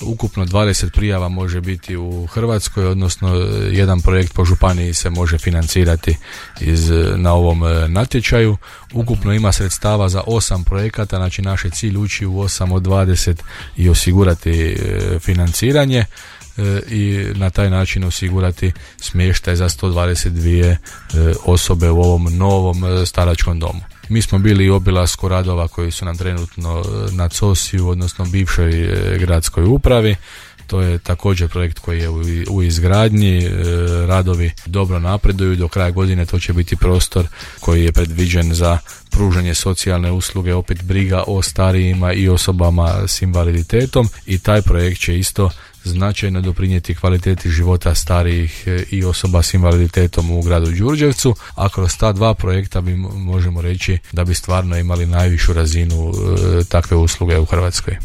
Ukupno 20 prijava može biti u Hrvatskoj, odnosno jedan projekt po županiji se može financirati na ovom natječaju. Ukupno ima sredstava za 8 projekata, znači naš je cilj ući u 8 od 20 i osigurati financiranje i na taj način osigurati smještaj za 122 osobe u ovom novom staračkom domu. Mi smo bili u obilasku radova koji su nam trenutno na COSI-u, odnosno bivšoj gradskoj upravi. To je također projekt koji je u izgradnji, radovi dobro napreduju, do kraja godine to će biti prostor koji je predviđen za pružanje socijalne usluge, opet briga o starijima i osobama s invaliditetom i taj projekt će isto značajno doprinijeti kvaliteti života starijih i osoba s invaliditetom u gradu Đurđevcu, a kroz ta dva projekta možemo reći da bi stvarno imali najvišu razinu takve usluge u Hrvatskoj.